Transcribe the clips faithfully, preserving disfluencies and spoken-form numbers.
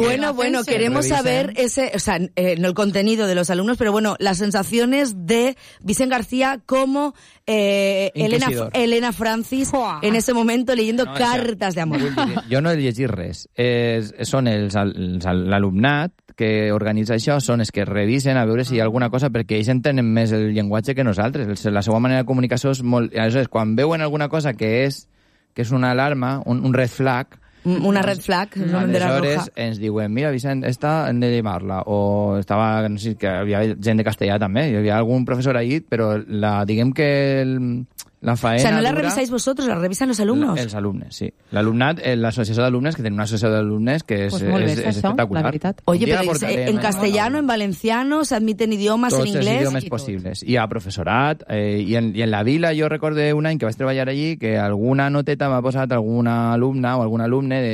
Bueno, bueno, queremos revisen. saber ese, o sea, eh, no el contenido de los alumnos, pero bueno, las sensaciones de Vicent García como eh, Elena, Elena Francis en ese momento leyendo no, cartes d'amor. Jo no he llegit res. És, són els, els, l'alumnat que organitza això, són els que revisen a veure si hi ha alguna cosa, perquè ells entenen més el llenguatge que nosaltres. La seva manera de comunicació és molt... Aleshores, quan veuen alguna cosa que és, que és una alarma, un, un red flag... Una red flag, una bandera roja. Aleshores ens diuen, mira, Vicent, esta hem de llevar-la. O estava, no sé, que hi havia gent de castellà també, hi havia algun professor ahí, però la, diguem que el, la faena... O sea, no la dura... revisáis vosotros, la revisan los alumnos. Els alumnes, sí. L'alumnat, l'associació d'alumnes, que tenen una associació d'alumnes que és, pues molt bé, és, és això, espectacular. la veritat. Oye, pero es, en castellano, en valenciano, se admiten idiomas, tots en inglés... Tots els idiomes possibles. Hi ha professorat, eh, i, en, i en la vila jo recordo un any que vaig treballar allí que alguna noteta m'ha posat alguna alumna o algun alumne de,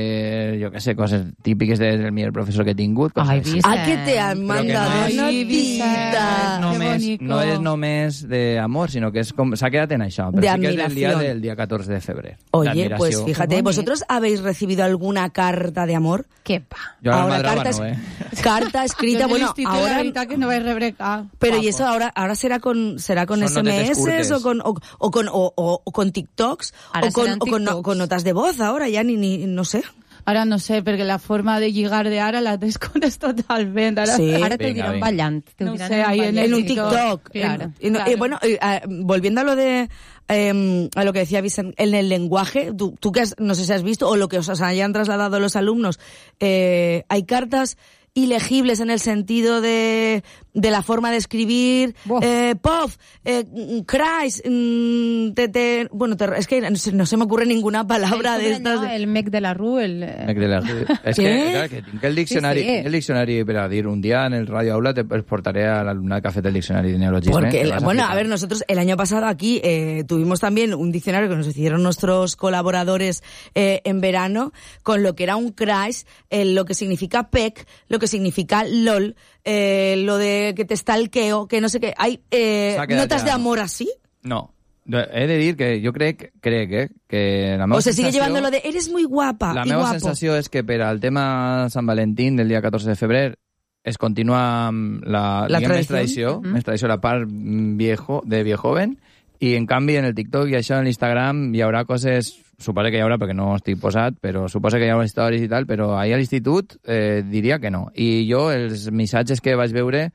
jo què sé, coses típiques del millor professor que he tingut. Ai, ah, que te han mandado no notita. No, només, no és només d'amor, sinó que s'ha quedat en això. Però de sí que és admiració. el dia del día catorce de febrero. Oye, pues fíjate, ¿vosotros habéis recibido alguna carta de amor? ¿Qué pa? Yo ahora carta, no, ¿eh? Carta escrita, bueno, ahora... que no vais a rebrecar. Pero guapo. Y eso ahora ahora será con será con Son S M S o con o, o con o, o, o con TikToks ahora o con o con, no, con notas de voz ahora ya ni ni no sé. Ara no sé, perquè la forma de lligar de ara la desconeix totalment. Ara, sí. Ara te dirán ballant. Te no dirán sé, ahí en, en un TikTok. Claro. En, claro. Eh, bueno, eh, volviendo a lo de eh, a lo que decía Vicent, en el lenguaje, tú, tú que has, no sé si has visto, o lo que os hayan trasladado los alumnos, eh, hay cartas ilegibles en el sentido de, de la forma de escribir, eh, Puff, eh, Christ, mm, te, te, bueno, te, es que no se, no se me ocurre ninguna palabra de estas. No, el mec de la Rue, el... Mec de la Rue. És que, clar, que tinc el diccionari, sí, sí. el diccionari per a dir, un día en el Radio Aula te portaré al alumnat que ha fet el diccionari de neologisme. Porque, el, bueno, a ver, nosotros el año pasado aquí eh, tuvimos también un diccionario que nos hicieron nuestros colaboradores eh, en verano, con lo que era un crash, eh, lo que significa pec, lo que significa LOL, eh, lo de que te stalkeo, que no sé qué. ¿Hay eh, notas de amor así? No. He de dir que jo crec, crec eh, que la meva o se sigue sensació, llevando lo de eres muy guapa la y meva guapo. sensació és que per al tema Sant Valentín del dia catorze de febrer es continua la, la diguem, tradició, més tradició, uh-huh. més tradició la part viejo, de viejoven, i en canvi en el TikTok i això en l'Instagram hi haurà coses, suposo que hi haurà perquè no estic posat, però suposo que hi haurà històries i tal, però ahir a l'institut eh, diria que no. I jo els missatges que vaig veure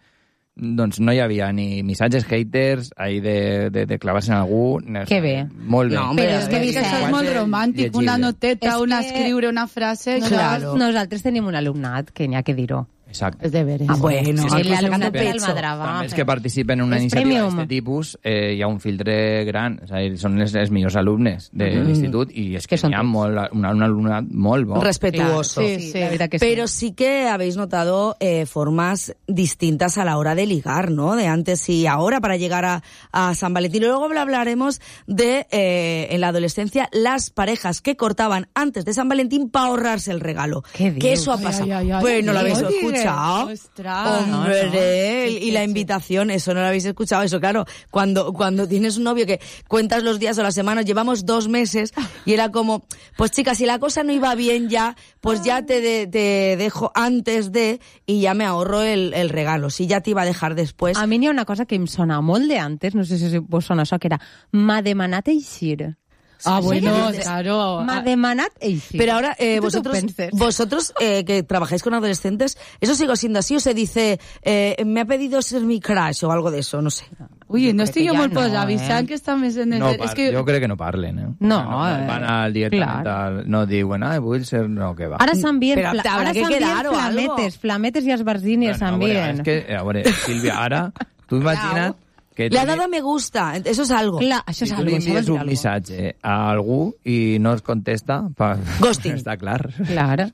doncs no hi havia ni missatges haters ahí de, de, de clavar-se en algú. Que bé. Molt bé. No, però és que això és molt romàntic, una noteta, una que... escriure una frase... Claro. Nosaltres tenim un alumnat que n'hi ha que dir-ho. Exacte. És de veres. Ah, bueno. Sí, sí, l'alumnat de l'Almadrava. També els que participen en una és iniciativa premium. d'aquest tipus eh, hi ha un filtre gran. O sigui, són els, els millors alumnes de mm. l'institut i és que, que n'hi ha molt, un, un alumnat molt bo. Respetuoso. Claro, sí, sí, la verdad que Pero sí. sí que habéis notado eh, formas distintas a la hora de ligar, ¿no? De antes y ahora para llegar a, a San Valentín. Y luego hablaremos de, eh, en la adolescencia, las parejas que cortaban antes de San Valentín para ahorrarse el regalo. ¿Qué que eso ha pasado. Ay, ay, ay, pues no lo habéis no escuchado. Ostras. Hombre, No, no. y la invitación, eso no lo habéis escuchado. Eso, claro, cuando, cuando tienes un novio que cuentas los días o las semanas, llevamos dos meses y era como, pues chica, si la cosa no iba bien ya, pues ya te, de, te dejo antes de y ya me ahorro el, el regalo. Si ya te iba a dejar después. A mi n'hi ha una cosa que em sona molt de antes, no sé si vos sona això, que era m'ha demanat eixir. Ah, bueno, claro. M'ha demanat eixir. Pero ahora, eh, vosotros, vosotros eh, que trabajáis con adolescentes, ¿eso sigue siendo así o se dice, eh, me ha pedido ser mi crush o algo de eso? No sé. Ui, no estic jo molt no, posada, avisant eh? que està més en el... No, és que... jo crec que no parlen, eh? No, no eh, van al directament, clar. no diuen, ah, vull ser... No, que va. Ara s'envien Però fla... habrá ara que s'envien quedar o flametes, algo. flametes i esbarzines Bueno, a veure, s'envien. és que, a veure, Sílvia, ara, tu imagina't que Le ha dado a me gusta, eso es algo. Clar, això és si tu algo. li això envies vol dir un algo. missatge a algú i no es contesta, pa... Ghosting. Està clar. Clar.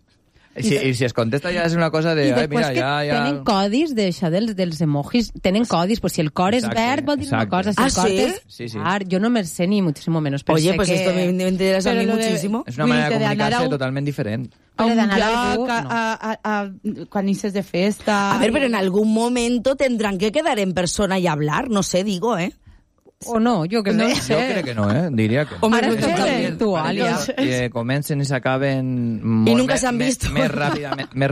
Si, I si es contesta ja és una cosa de... I Ai, després mira, que ja, ja... tenen codis d'això dels, dels emojis, tenen codis, pues si el cor és Exacte, verd vol dir una exacte. cosa, si Ah, el cor ¿sí? és... Sí, sí. Clar, jo no me'l sé ni muchísimo menos, però Oye, sé pues que... esto me, me interesa a mí Pero lo de- muchísimo. És una manera de Vull dir que d'anar comunicar-se a un- totalment diferent. A Però un d'anar a lloc, algú, a, no. a, a, a, quan inicies de festa... A ver, pero en algún momento tendrán que quedar en persona y hablar, no sé, digo, ¿eh? O no, jo que No sé. sé. Jo crec que no, eh? Diria que no. Hombre, Ara no és sé. tot virtual, ja. Que comencen i s'acaben... I nunca s'han vist. Més ràpidament, més